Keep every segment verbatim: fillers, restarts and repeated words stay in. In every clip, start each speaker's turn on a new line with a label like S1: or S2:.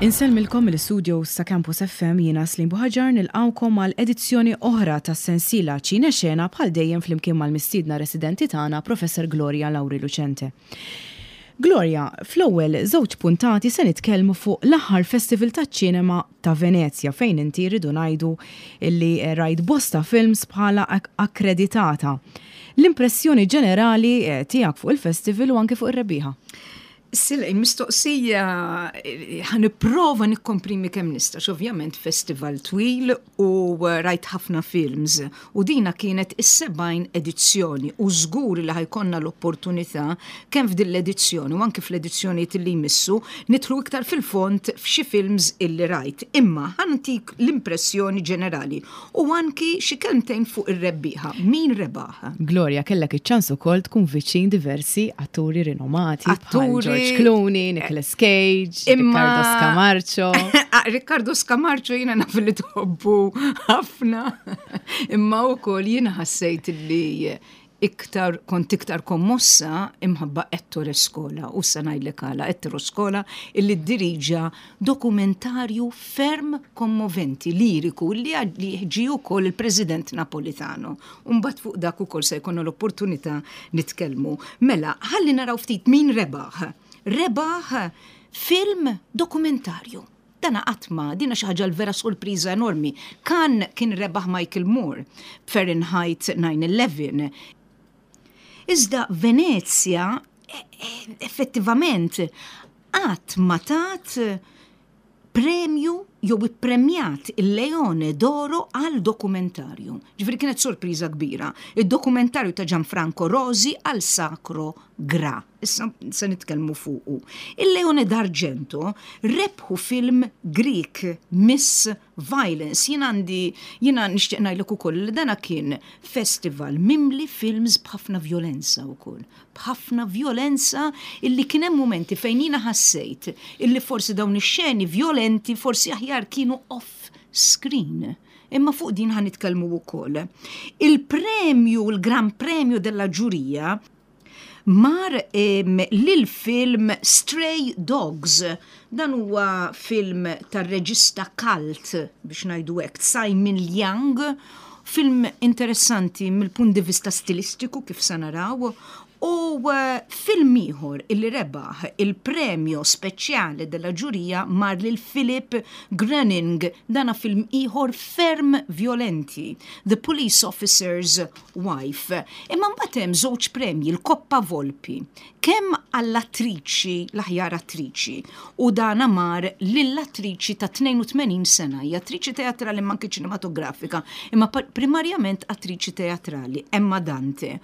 S1: Insellmilkom mill-studios ta' Campus F M, jiena Slim Buħaġar, nilqgħukom għal edizzjoni oħra ta' sensiela Ċine Xena, bħal dejjem flimkien mal-mistiedna residenti tagħna, Professor Gloria Lauri Lucente. Gloria, fl-ewwel żewġ puntati se nitkellmu fuq l-aħħar Festival taċ-Ċinema ta' Venezja, fejn inti, rridu ngħidu illi rajt bosta films bħala akkreditata. L-impressjoni ġenerali eh, tiegħek fuq il-festival u anke fuq ir-rebbieħa?
S2: Sila, mistoqsija, ħa nipprova nikkomprimi kemm nista', ovvjament festival twil u rajt ħafna films. U dina kienet is-sebgħin edizzjoni u żgur li ħa jkollna l-opportunità kemm f'din l-edizzjoni u anke fl-edizzjonijiet li jmissu nidħlu iktar fil-fond f'xi films illi rajt. Imma ħa ntik l-impressjoni ġenerali u anki xi kelmtejn fuq ir-rebbieħa. Min rebaħ?
S1: Gloria, kellek iċ-ċans ukoll tkun viċin diversi atturi rinomati.
S2: Atturi
S1: George Clooney, Nicolas Cage,
S2: Imma
S1: Riccardo Scamarcio.
S2: Ah, Riccardo Scamarcio jiena naf li tħobbu ħafna. Imma wkoll jiena ħassejt li iktar kont iktar kommossa imħabba Ettore Scola, u sa ngħidlek għala. Ettore Scola illi diriġa dokumentarju ferm kommoventi, liriku, li ġi ukoll il-President Napolitano. Umbagħad fuq dak ukoll se jkollna l-opportunità nitkellmu. Mela, ħalli naraw ftit min rebaħ. Rebaħ film dokumentarju. Dana għatma, dina xi ħaġa l-vera sorpriża enormi. Kan kien rebaħ Michael Moore, Fahrenheit nine eleven. Iżda Venezia e, e, effettivament qatt ma tat premju jew ippremjat il-Leone d'Oro għal dokumentarju. Ġifieri kienet sorpriża kbira. Il-dokumentarju ta' Gianfranco Rosi għal Sacro Gra. Issa se nitkellmu fuqu. Il-Leone d'Argento rebħu film Greek, Miss Violence. Jien għandi, jiena nixtieq ngħidlek ukoll li dana kien festival mimli films b'ħafna violenza wkoll. B'ħafna violenza illi kien hemm momenti fejn jiena ħassejt illi forsi dawn ix-xeni violenti forsi aħjar kienu off screen. Imma fuq din ħa nitkellmu wkoll. Il-premju, il-Gran Premio della Ġurija mar em, lil film Stray Dogs. Dan huwa film tar-reġista cult, biex ngħidu hekk, Simon Liang, film interessanti mill-punt di vista stilistiku, kif sa naraw, u eh, film ieħor illi rebaħ il-premju speċjali della ġurija mar lil Philip Gröning, dana film ieħor ferm violenti, The Police Officer's Wife. Imma mbagħad hemm żewġ premji, l-Coppa Volpi, kemm għall-attriċi, l-aħjar attriċi, u dana mar lill-attriċi ta' tnejn u tmenin sena, hija attriċi teatrali imma anke ċinematografika, imma pa- primarjament attriċi teatrali, Emma Dante.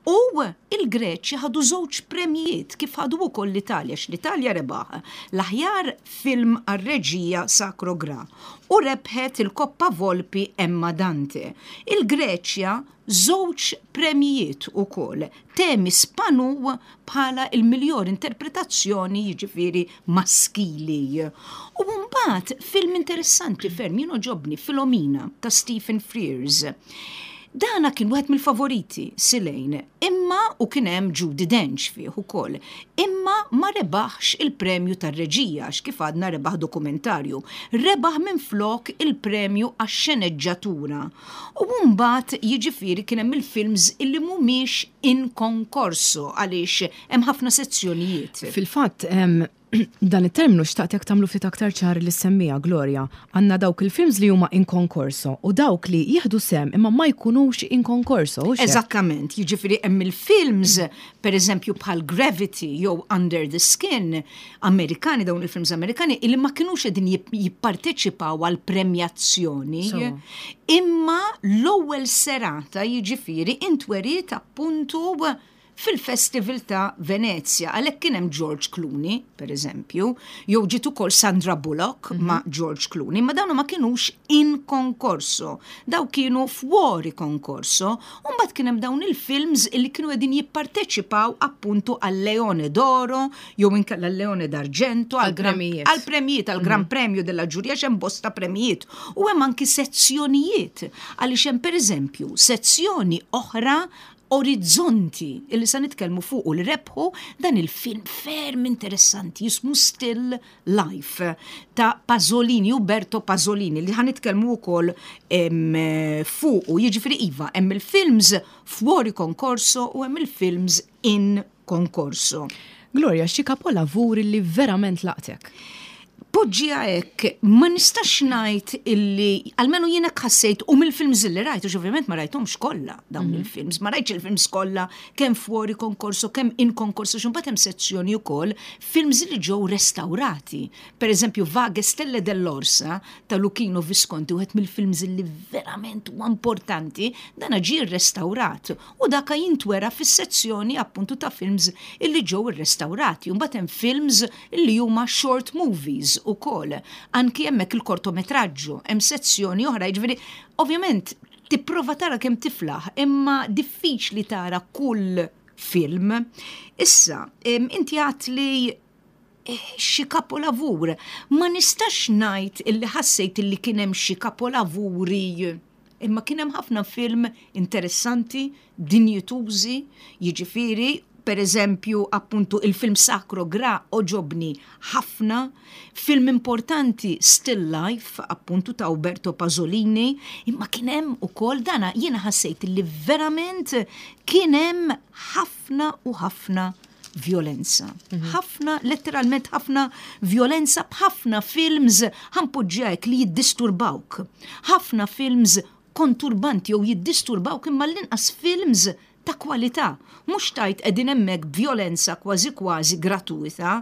S2: U il-Greċi ħadu żewġ premjijiet, kif ħadu wkoll l-Italja, x l-Italja rebaħ l-aħjar film għar-reġija Sacro Gra u rebħet il-Coppa Volpi Emma Dante. Il-Greċja żewġ premjijiet ukoll. Themis Spanou bħala il-miljor interpretazzjoni, jiġifieri maskili. U mbagħad film interessanti ferm, jien għoġobni, Philomena ta' Stephen Frears. Dana kien wieħed mill-favoriti, Silejn, imma u kien hemm Judi Dench fih ukoll. Imma ma rebaħx il-premju tar-reġija, għax kif għadna rebaħ dokumentarju. Rebaħ minn flok il-premju għax-xeneġġatura. U mbagħad jiġifieri kien hemm il-films illi mhumiex in concorso, għaliex hemm ħafna sezzjonijiet.
S1: Fil-fatt, em, dan it-terminu xtaqtek tagħmlu ftit aktar ċar li semmija Gloria. Għandna dawk il-films li huma in concorso u dawk li jieħdu sehem imma ma jkunux in concorso. Hux hekk?
S2: Eżattament, jiġifieri hemm il-films, per eżempju, bħal Gravity jew Under the Skin, Amerikani, dawn il-films Amerikani, illi ma kinux qegħdin jip- jipparteċipaw għal premjazzjoni.
S1: So.
S2: Imma l-ewwel serata jiġifieri intweriet appuntu fil-Festival ta' Venezia. Għalhekk kien hemm George Clooney, per eżempju, jew ġiet ukoll Sandra Bullock ma' George Clooney, ma dawnu ma kienux in concorso, daw kienu fuori concorso, u mbagħad kien hemm dawn il-films illi kienu qegħdin jipparteċipaw appuntu għal Leone d'Oro, jew inkella Leone d'Argento, għal gran-
S1: Għal premijiet.
S2: għal premijiet, għal Gran Premio della Ġurija, hemm bosta premijiet. U hemm anki sezzjonijiet, għaliex hemm, pereżempju, sezzjoni oħra Orizzonti, illi sa nitkellmu fuq u li rebħu dan il-film ferm interessanti jismu Still Life ta' Pasolini, Uberto Pasolini, li ħa nitkellmu wkoll fuq. Jiġifieri iva, hemm il-films fuori concorso u hemm il-films in concorso.
S1: Gloria, xi kapolavuri li verament laqtek?
S2: Poġġiha hekk, ma nistax ngħid illi, almenu jiena ħassejt u mill-films li rajt, u ovvjament ma rajthomx kollha dawn mhm. il-films, ma rajtx il-films kollha kemm fuori concorso, kemm in concorso, x'imbagħad hemm sezzjoni wkoll films li ġew restaurati. Per eżempju, Vaghe stelle dell'Orsa ta' Luchino Visconti, wieħed mill-films li verament huwa importanti, dan ġie restaurat u daka jintwera fis-sezzjoni appuntu ta' films illi ġew irrestaurati. Mbagħad hemm films illi huma short movies ukoll. Anki hemmhekk il-kortometraġġu, hemm sezzjoni oħra, jiġifieri ovvjament tipprova tara kemm tiflaħ, imma diffiċli tara kull film. Issa, inti għat li eh, xi kapolavur. Ma nistax ngħid illi ħassejt illi kien hemm xi kapolavuri, imma kien hemm ħafna film interessanti, dinjitużi, jiġifieri per eżempju, appuntu il-film Sacro Gra għoġobni ħafna, film importanti Still Life, appuntu ta' Uberto Pasolini, imma kien hemm ukoll dana jiena ħassejt li verament kien hemm ħafna u ħafna violenza. Mhm. Ħafna, letteralment ħafna violenza b'ħafna films, ħa npoġġiha hekk, li jiddisturbawk. Ħafna films konturbanti jew jiddisturbawk, imma l-inqas films ta' kwalità. Mhux tajt qegħdin hemmhekk violenza kważi kważi gratuita,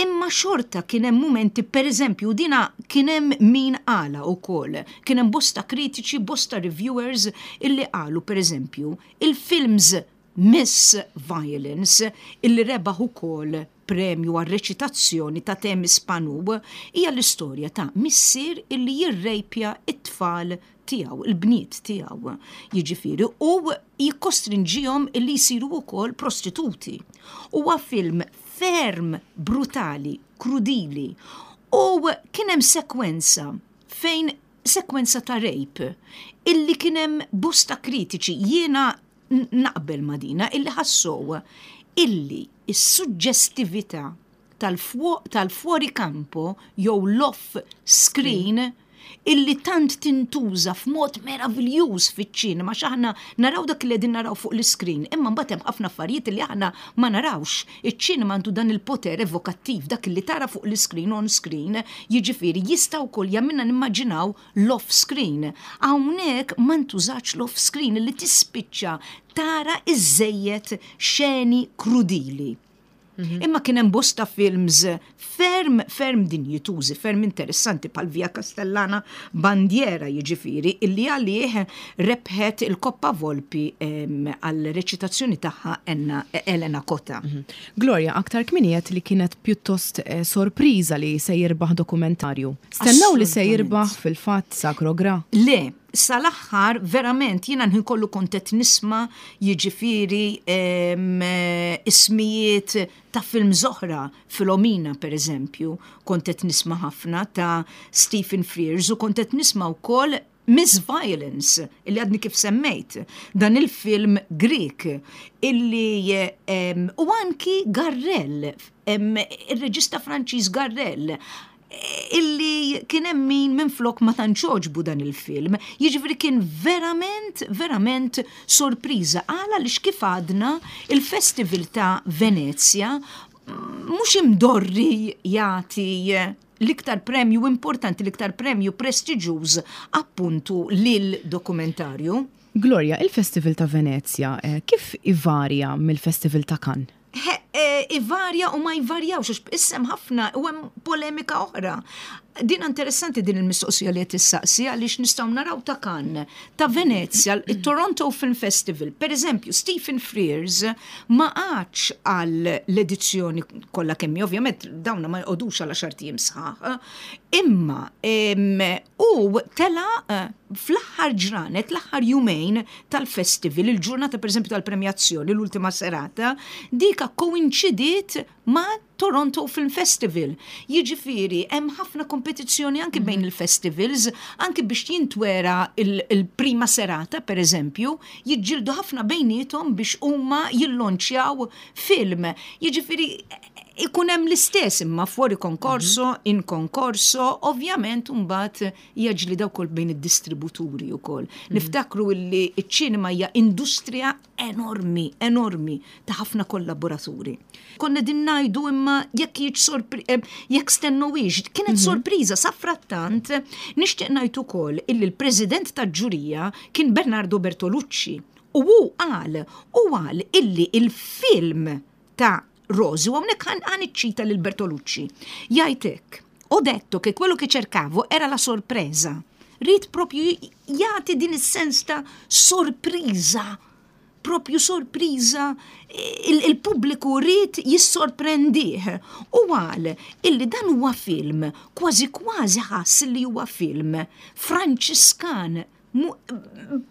S2: imma xorta kien hemm momenti, pereżempju, dina kien hemm min qala wkoll. Kien hemm bosta kritiċi, bosta reviewers illi qalu, pereżempju, il-films Miss Violence, illi rebaħ ukoll premju għal reċitazzjoni ta' Themis Spanou, hija l-istorja ta' missier illi jirrejpja it-tfal tiegħu, il-bniet tiegħu. Jiġifieri u jikkostrinġihom illi jsiru wkoll prostituti. Huwa film ferm brutali, krudili, u kien hemm sekwenza fejn sekwenza ta' rape illi kien hemm bosta kritiċi, jiena naqbel ma' dina, illi ħassow illi is-suġġestività tal-fuori campo jew l-off screen illi tant tintuża f'mod meraviljuż fiċ-ċinema, x'aħna naraw dak li qegħdin naraw fuq l-iskrin, imma mbagħad hemm ħafna affarijiet li aħna ma narawx. Iċ-ċinema għandu dan il-poter evokattiv, dak li tara fuq l-iskrin, on screen, jiġifieri jista' wkoll jagħmilna nimmaġinaw l-off screen. Hawnhekk ma ntużax l-off screen, li tispiċċa tara iżejjed xeni krudili. Mhm. Imma kien hemm bosta films ferm ferm dinjitużi, ferm interessanti bħal Via Castellana Bandiera, jiġifieri illi għalih rebħet il-Coppa Volpi għal reċitazzjoni tagħha Enna Elena Kota.
S1: Mhm. Gloria, aktar kmieni għedt li kienet pjuttost eh, sorpriża li se jirbaħ dokumentarju. Stennaw li se jirbaħ fil-fatt Sacro Gra?
S2: Le, sal-aħħar verament jiena nħin kollu kont nisma' jiġifieri ismijiet ta' film oħra, Filomena per eżempju, kont nisma' ħafna ta' Stephen Frears u kont nisma' wkoll Miss Violence, illi għadni kif semmejt, dan il-film Greek, illi u anki Garrel, il-reġista Franċiż Garrel, illi kien hemm min minflok ma tantx għoġbu dan il-film. Jiġifieri kien verament, verament sorpriża. Għala li kif għadna, il-Festival ta' Venezia mhux imdorri jagħti l-iktar premju importanti, l-iktar premju prestiġjuż appuntu lil dokumentarju.
S1: Gloria, il-Festival ta' Venezia eh, kif ivarja mill-Festival ta' Cannes?
S2: Eh, ivarja u ma jvarjawx, għax issa hemm ħafna u hemm polemika oħra. Din interessanti din il-mistoqsija li qed issaqsi, għaliex nistgħu naraw ta' Cannes, ta' Venezia, il-Toronto Film Festival. Per eżempju, Stephen Frears ma qagħadx għal l-edizzjoni kollha kemm, ovvjament dawna ma jqogħdux għal għaxart ijiem sħaħ, imma u tela eh, fl-aħħar ġranet, l-aħħar jumejn tal-festival, il-ġurnata per eżempju tal-premjazzjoni, l-ultima serata, dika koinċidiet Ikkoinċidiet ma' Toronto Film Festival. Jiġifieri hemm ħafna kompetizzjoni anki bejn mhm. il-festivals, anki biex jintwera il-prima serata, per eżempju, jiġġieldu ħafna bejniethom biex huma jillonċjaw film. Jiġifieri ikun hemm l-istess imma fuori concorso, mhm. in concorso, ovvjament mbagħad hija ġlieda wkoll bejn id-distributuri wkoll. Mhm. Niftakru illi ċ-ċinema hija industrija enormi, enormi ta' ħafna kollaboraturi. Konna din ngħidu imma jekk jiġ eh, jekk stennewhiex, kienet mhm. sorpriża. Safrattant nixtieq ngħid ukoll illi l-president tal-ġurija kien Bernardo Bertolucci. U hu qal, u qal illi il-film ta' Rosi, u hawnhekk ħa niċċita lil Bertolucci. Jgħid hekk: "Ho detto che quello che cercavo era la sorpresa." Ried propju jagħti din is-sens ta' sorpriża, propju sorpriża, il-pubbliku ried jissorprendih. U qal illi dan huwa film, kważi kważi ħass li huwa film Franċiskan,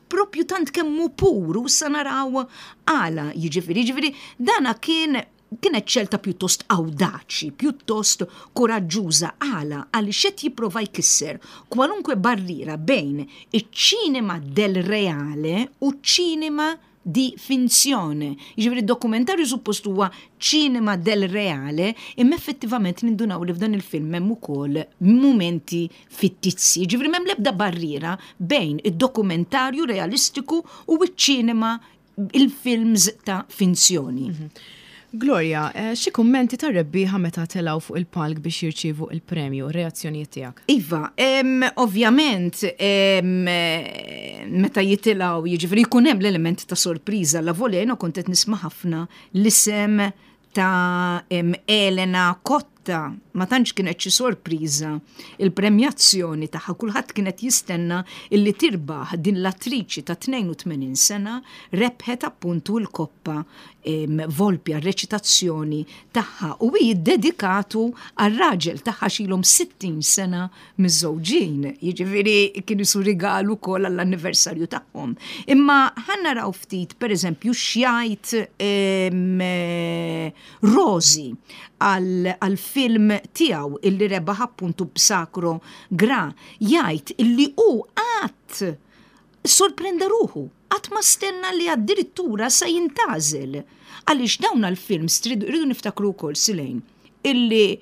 S2: propju tant kemm hu pur, u sa naraw għala. Jiġifieri, jiġifieri dana kien kienet xelta pjuttost awdaċi, pjuttost koraġġuża. Għala? Għaliex qed jipprova jkisser kwalunkwe barriera bejn iċ-ċinema del reale u ċ-ċinema di finzione. Jiġifieri dokumentarju suppost huwa ċinema del reale, imma effettivament nindunaw li f'dan il-film hemm ukoll momenti fittizzi. Jiġifieri m'hemm l-ebda barriera bejn id-dokumentarju realistiku u ċ-ċinema, il-films ta' finzjoni.
S1: Mhm. Gloria, eh, xi kummenti ta' rebbieħa meta telgħu fuq il-palk biex jirċievu il-premju, reazzjonijiet tiegħek?
S2: Iva, ovvjament, meta jitilgħu, jiġifieri jkun hemm l-element ta' sorpriża. La voleno kont qed nisma' ħafna l-isem ta' Elena Cotta, ma tantx kienet xi sorpriża il-premjazzjoni tagħha. Kulħadd kienet jistenna illi tirbaħ din l-attriċi ta' tnejn u tmenin sena, rebħet appuntu l-Koppa Volpi reċitazzjoni tagħha u hi dedikatu għar-raġel tagħha, x'ilhom sittin sena miżżewġin. Jiġifieri kienu su rigalu ukoll għall-anniversarju tagħhom. Imma ħa naraw ftit, pereżempju, x'jgħid Rosi għal-film tiegħu illi rebaħ appuntu b'Sacro Gra. Jgħid illi hu qatt sorprenda ruħu, qatt ma stenna li addirittura sa jintgħażel. Għaliex dawn għal-films rridu niftakru wkoll, Silejn, illi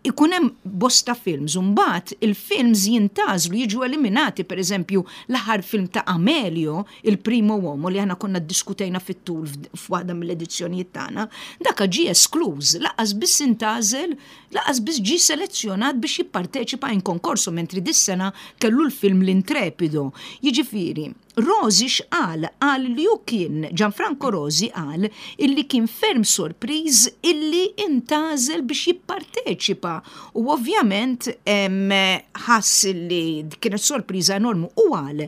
S2: ikun hemm bosta films, mbagħad il-films jintgħażlu, jiġu eliminati. Per eżempju, l-aħħar film ta' Amelio, Il Primo Uomo, li aħna konna diskutejna fit-tul f'waħda mill-edizzjonijiet tagħna, daka ġie eskluż, lanqas biss intgħażel, lanqas biss ġie selezzjonat biex jipparteċipa in concorso, mentri dis-sena kellu l-film L'Intrepido. Jiġifieri, Rosi x'qal? Qal li hu kien, Gianfranco Rosi qal illi kien ferm sorpriż illi intgħażel biex jipparteċipa u ovvjament ħass illi kienet sorpriża enormu u qal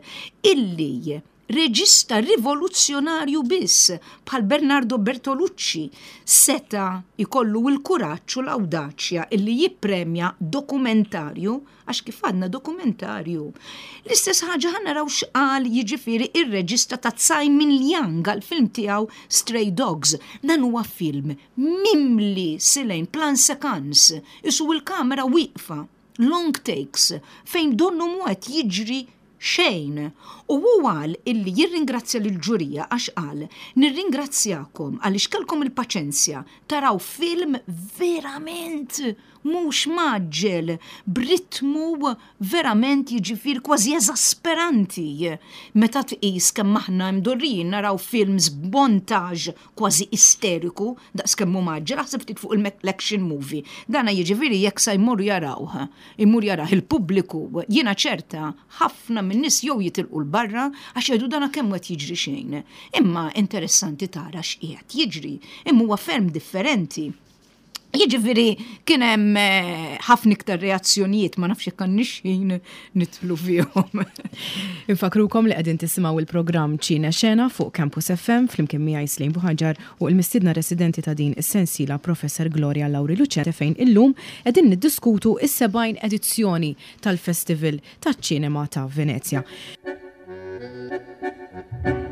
S2: illi reġista rivoluzzjonarju biss bħal Bernardo Bertolucci seta ikollu il-kuraġġ u l-awdaċja illi jippremja dokumentarju, għax kif għadna, dokumentarju. L-istess ħaġa ħa naraw x'qal, jiġifieri, ir-reġista ta' Tsai Ming Liang għal-film tiegħu Stray Dogs. Dan huwa film mimli, Silejn, plan séquence, isu il-kamera wieqfa, long takes, fejn donnu mhu qed jiġri xejn. U hu qal illi jirringrazzja lill-ġurija għax qal: "Nirringrazzjakom għaliex kellkom il-paċenzja taraw film verament mhux mgħaġġel, b'ritmu verament, jiġifieri, kważi eżasperanti meta tqis kemm aħna mdorrijin naraw films b'montage kważi isteriku daqs kemm hu mgħaġġel, aħseb ftit fuq l-action movie." Dana, jiġifieri, jekk sa jmorru jarawh, imur jarah il-pubbliku, jiena ċerta ħafna min-nies jew jitilqu 'l barra għax jgħidu: "Dana kemm qed jiġri xejn." Imma interessanti tara x'qiegħed jiġri, imma huwa ferm differenti. Jiġifieri kien hemm eh, ħafna iktar reazzjonijiet, ma nafx jekk għandniex ħin nidħlu fihom.
S1: Infakrukom li qegħdin tisimgħu il-programm Ċine Xena fuq Campus F M flimkien miegħi Slim Buħaġar u l-mistiedna residenti ta' din is-sensiela, Professor Gloria Lauri Lucente, fejn illum qegħdin niddiskutu is-sebgħin edizzjoni tal-Festival taċ-Ċinema ta' Venezja. Thank you.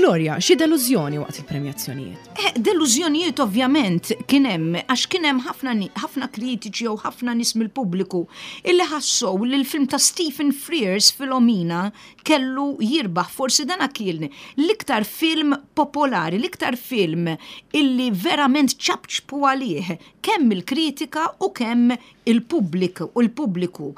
S1: Gloria, xi delużjoni waqt il-premjazzjonijiet?
S2: Eh, delużjonijiet ovvjament kien hemm, għax kien hemm ħafna ħafna kritiċi jew ħafna nies mill-pubbliku illi ħassew li l-film ta' Stephen Frears, Filomena, kellu jirbaħ. Forsi dana kien l-iktar film popolari, l-iktar film illi verament ċapċpu għalih kemm il-kritika u kemm il-pubbliku u l-pubbliku.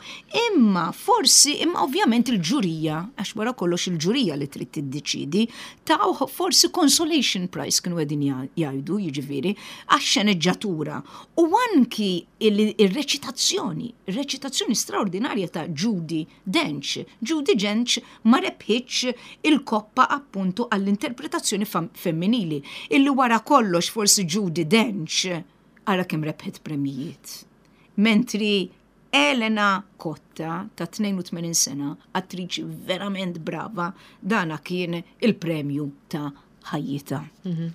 S2: Imma forsi, imma ovvjament il-ġurija, għax wara kollox il-ġurija li trid tiddeċidi, taw forsi consolation prize kienu qegħdin jgħidu, jiġifieri, għax-xeneġġatura. U anki il-reċitazzjoni, il-reċitazzjoni straordinarja ta' Judi Dench. Judi Dench ma rebħitx il-koppa appuntu għall-interpretazzjoni femminili. Illi wara kollox forsi Judi Dench ara kemm rebħet premijiet. Mentri Elena Cotta ta' tnejn u tmenin sena, attriċi verament brava, dana kien il-premju ta' ħajjitha.
S1: Mhm.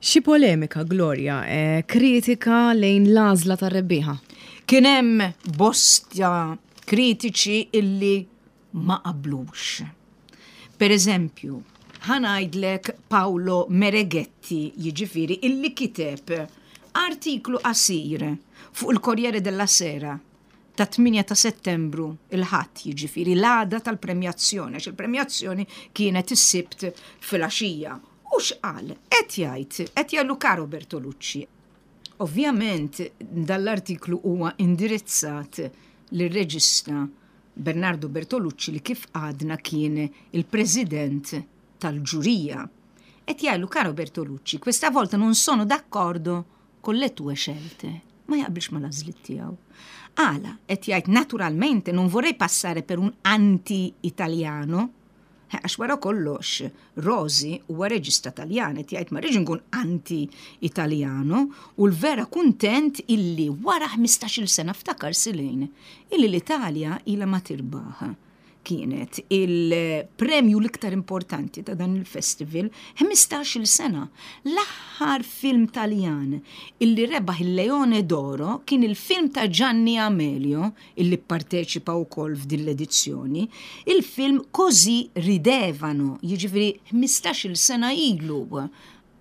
S1: Xi polemika, Gloria, eh, kritika lejn l-għażla tar-rebbieħa?
S2: Kien hemm bosta kritiċi illi ma qablux. Per eżempju, ħa ngħidlek Paolo Mereghetti, jiġifieri illi kiteb artiklu qasir fuq il Corriere della Sera ta' tmienja ta' Settembru, il-Ħadd, jiġifieri l-għada tal-premjazzjoni, għax il-premjazzjoni kienet is-Sibt filgħaxija. U x'qal? Qed jgħid, qed jgħidlu: "Caro Bertolucci." Ovvjament dall-artiklu huwa indirizzat lir-reġista Bernardo Bertolucci li kif għadna kien il-president tal-ġurija. Qed jgħidlu: "Caro Bertolucci, questa volta non sono d'accordo con le tue scelte." Ma jaqbilx mal-għażliet tiegħu. Għala, qed jgħid, "naturalmente non vorrei passare per un anti-italiano", eh, għax wara kollox Rosi huwa reġista Taljan, qed jgħid ma rridx nkun anti-italiano u l-vera kuntent illi wara ħmistax-il sena, ftakar Silejn, illi l-Italja ilha ma tirbaħ kienet il-premju l-iktar importanti ta' dan il-festival ħmistax-il sena. L-aħħar film Taljan illi rebaħ il-Leone d'Oro kien il-film ta' Gianni Amelio, illi parteċipa wkoll f'din l-edizzjoni, il-film Così ridevano, jiġifieri ħmistax-il sena ilu.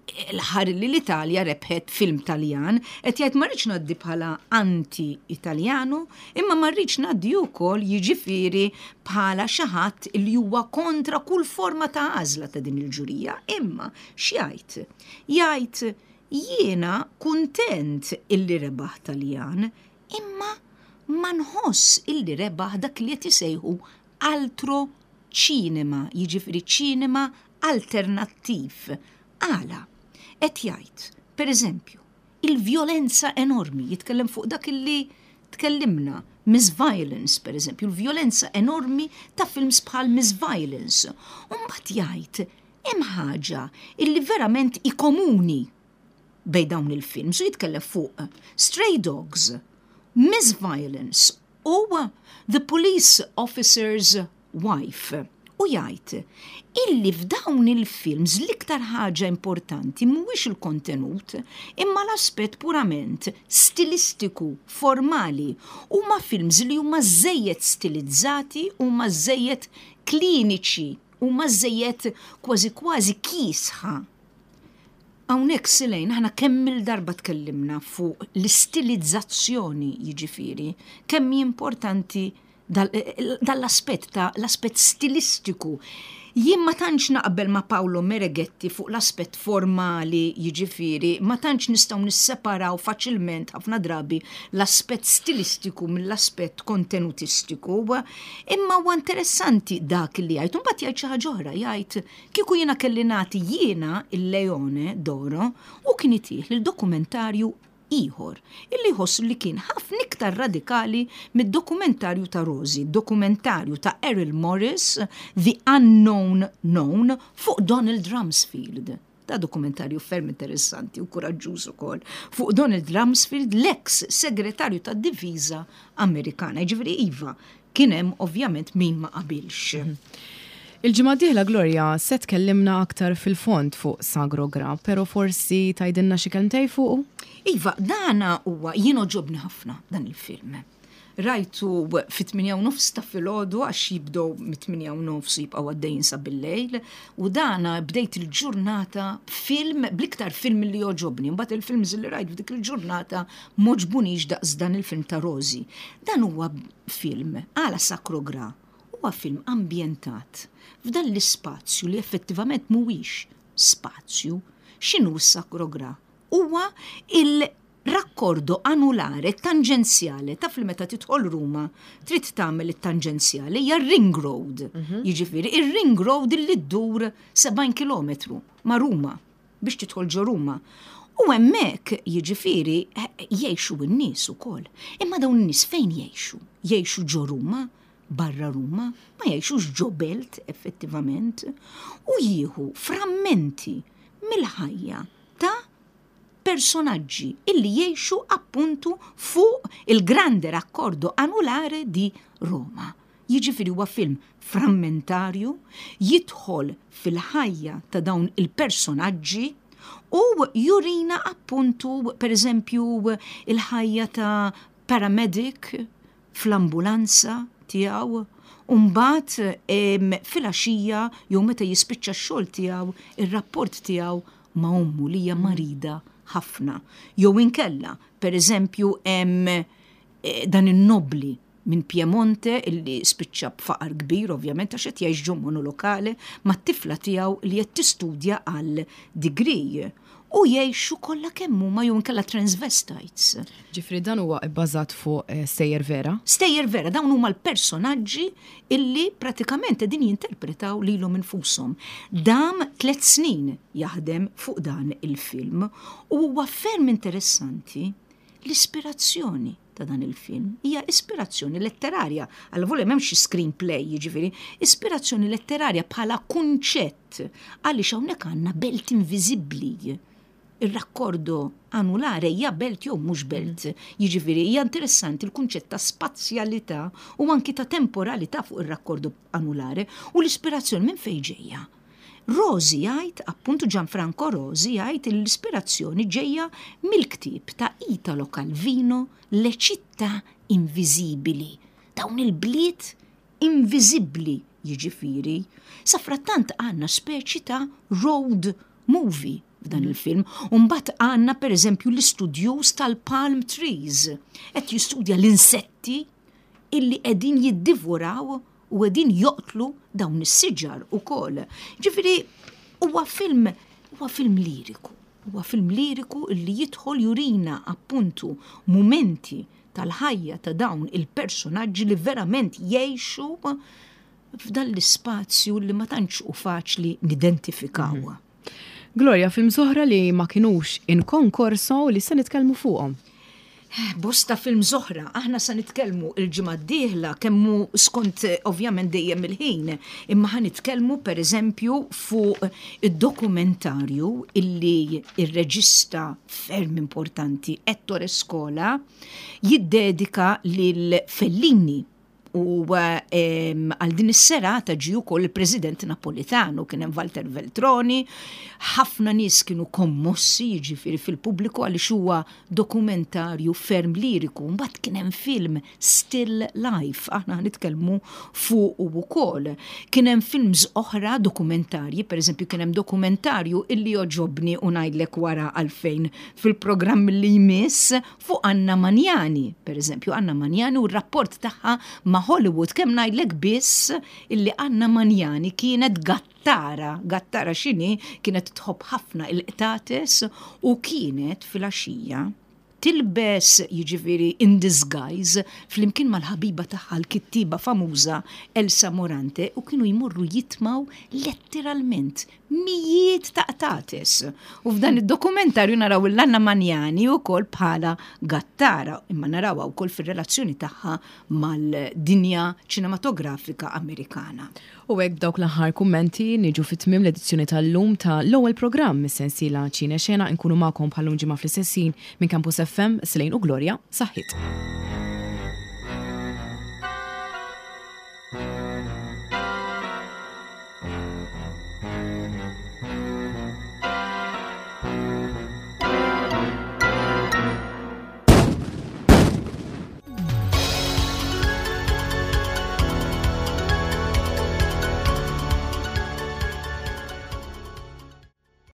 S2: L-aħħar li l-Italja rebħet film Taljan, qed jgħid, "Ma rridx ngħaddi bħala anti-Italjanu, imma ma rridx ngħaddi wkoll, jiġifieri, bħala xi ħadd li huwa kontra kull forma ta' għażla ta' din il-ġurija." Imma x'jgħid? Jgħid, "Jiena kuntent illi rebaħ Taljan, imma ma nħoss illi rebaħ dak li qed isejħu altro cinema, jiġifieri ċinema alternattiv." Għala? Qed jgħid, per eżempju, il-vjolenza enormi, jitkellem fuq dak illi tkellimna, Miss Violence, per eżempju, il-vjolenza enormi ta' films bħal Miss Violence. U mbagħad jgħid, hemm ħaġa illi verament hi komuni bejn dawn il-films, u jitkellem fuq Stray Dogs, Miss Violence u The Police Officer's Wife. U jgħid illi f'dawn il-films l-iktar ħaġa importanti mhuwiex il-kontenut imma l-aspett purament stilistiku, formali. Huma films li huma żejjed stilizzati, huma żejjed kliniċi, huma żejjed kważi kważi kiesħa. Hawnhekk, Silejn, aħna kemm il-darba tkellimna fuq l-istilizzazzjoni, jiġifieri, kemm hi importanti dal-aspett ta' l-aspett stilistiku. Jien ma tantx naqbel ma' Paolo Mereghetti fuq l-aspett formali, jiġifieri, ma tantx nistgħu nisseparaw faċilment ħafna drabi l-aspett stilistiku mill-aspett kontenutistiku, imma huwa interessanti dak li jgħid. Mbagħad jgħid xi ħaġa oħra, jgħid kieku jiena kelli nagħti jiena il-Leone d'Oro u kien itih lil dokumentarju ieħor illi jħossu li kien ħafna iktar radikali mid-dokumentarju ta' Rosi, dokumentarju ta' Errol Morris, The Unknown Known, fuq Donald Rumsfeld. Da dokumentarju ferm interessanti u kuraġġuż ukoll fuq Donald Rumsfeld, l-ex segretarju tad-difiża Amerikana. Ġifieri iva, kien hemm ovvjament min ma qabilx.
S1: Il-ġimgħa dieħla, Gloria, se tkellimna aktar fil-fond fuq Sagro Gra, pero forsi tgħidilna xi kelmtejn fuqu?
S2: Iva, dana huwa, jien għoġobni ħafna dan il-film. Rajtu fit-tmienja u nofs ta' filgħodu għax jibdew mit-tmienja u nofs u jibqgħu għaddejjin sa bil-lejl, u dana bdejt il-ġurnata film, bl-iktar film li jogħġobni. Mbagħad il-films li rajt f'dik il-ġurnata m'għoġbunix daqs dan il-film ta' Rosi. Dan huwa film għala Sacro Gra, huwa film ambjentat f'dan l-ispazju li effettivament mhuwiex spazju. X'inhu s-Sacro Gra? Huwa il-raccordo anulare tanġenzjale. Taf li meta tidħol Ruma trid tagħmel it-tanġenzjali, hija ring road. Jiġifieri ir-ring road li ddur sebgħin kilometru ma' Ruma biex tidħol ġo Ruma. U hemmhekk, jiġifieri, jgħixu n-nies ukoll. Imma dawn in-nies fejn jgħixu? Jgħixu ġo Ruma, barra Ruma, ma jgħixux ġo belt effettivament, u jieħu frammenti mill-ħajja ta' personaġġi illi jgħixu appuntu fuq il-grande raccordo anulare di Roma. Jiġifieri huwa film frammentarju, jidħol fil-ħajja ta' dawn il-personaġġi u jurina appuntu, per eżempju, il-ħajja ta' paramedic fl-ambulanza tiegħu. Umbagħad fil-għaxija jew meta jispiċċa x-xogħol tiegħu, ir-rapport tiegħu ma' ommu li hija marida ħafna. Jew inkella, per eżempju, hemm eh, dan in-nobli minn Piemonte illi spiċċa b'faqar kbir, ovvjament, għax qed jgħix ġo monolokale mat-tifla tiegħu li qed tistudja għal degree. U jgħixu kollha kemm huma, jew inkella transvestites.
S1: Ġifieri dan huwa bbażat fuq eh, stejjer vera?
S2: Stejjer vera, dawn huma l-personaġġi illi pratikament qegħdin jinterpretaw lilhom infushom. Dam tliet snin jaħdem fuq dan il-film u huwa ferm interessanti l-ispirazzjoni ta' dan il-film. Hija ispirazzjoni letterarja. Għal m'hemmx xi screenplay, jiġifieri, ispirazzjoni letterarja bħala kunċett, għaliex hawnhekk għandna belt inviżibbli. Ir-raccordo anulare hija belt jew mhux belt? Jiġifieri hija interessanti l-kunċett ta' spazjalità u anki ta' temporalità fuq ir-raccordo anulare, u l-ispirazzjoni minn fejn ġejja? Rosi jgħid, appuntu Gianfranco Rosi jgħid, l-ispirazzjoni ġejja mill-ktieb ta' Italo Calvino, Le città invisibili. Dawn il-bliet inviżibbli, jiġifieri. Safrattant għandna speċi ta' road movie f'dan il-film. U mbagħad għandna, pereżempju, l-istudjuż tal-palm trees. Qed jistudja l-insetti illi qegħdin jiddivoraw u qegħdin joqtlu dawn is-siġar ukoll. Ġifieri huwa film huwa film liriku. Huwa film liriku illi jidħol jurina appuntu mumenti tal-ħajja ta' dawn il-personaġġi li verament jgħixu f'dan l-ispazju li ma tantx hu faċli nidentifikaw.
S1: Mhm. Gloria, films oħra li ma kinux in concorso li se nitkellmu fuqhom?
S2: Bosta films oħra, aħna sa nitkellmu il-ġimgħa d-dieħla, kemm hu skont ovvjament dejjem il-ħin, imma ħa nitkellmu pereżempju fuq id-dokumentarju illi ir-reġista ferm importanti Ettore Scola jiddedika lil Fellini. U għal din is-serata ġie wkoll il-President Napolitano, kien hemm Walter Veltroni, ħafna nies kienu kommossi, jiġifieri fil-pubbliku, għaliex huwa dokumentarju ferm liriku. Mbagħad kien hemm film Still Life, aħna nitkellmu fuq ukoll. Kien hemm films oħra dokumentarji, pereżempju kien hemm dokumentarju illi jogħġobni u ngħidlek wara għalfejn fil-programm li jmiss fuq Anna Magnani, pereżempju Anna Magnani u r-rapport tagħha ma' Hollywood. Kemm ngħidlek biss illi Anna Magnani kienet gattara, gattara x'inhi? Kienet tħobb ħafna il-qtates u kienet filgħaxija tilbes, jiġifieri in disguise, flimkien mal-ħabiba tagħha, l-kittiba famuża Elsa Morante, u kienu jmorru jitmaw letteralment mijiet ta' qtates. U f'dan id-dokumentarju naraw l-Anna Magnani wkoll bħala gattara, imma narawha wkoll fir-relazzjoni tagħha mal-dinja ċinematografika Amerikana.
S1: U hekk, dawk l-aħħar kummenti, niġu fit-tmiem l-edizzjoni tal-lum ta' l-ewwel programm mis-sensiela Ċine Xena. Nkunu magħkom bħal-lum ġimgħa fl-istess ħin minn Campus F M. Selene u Gloria, saħħit.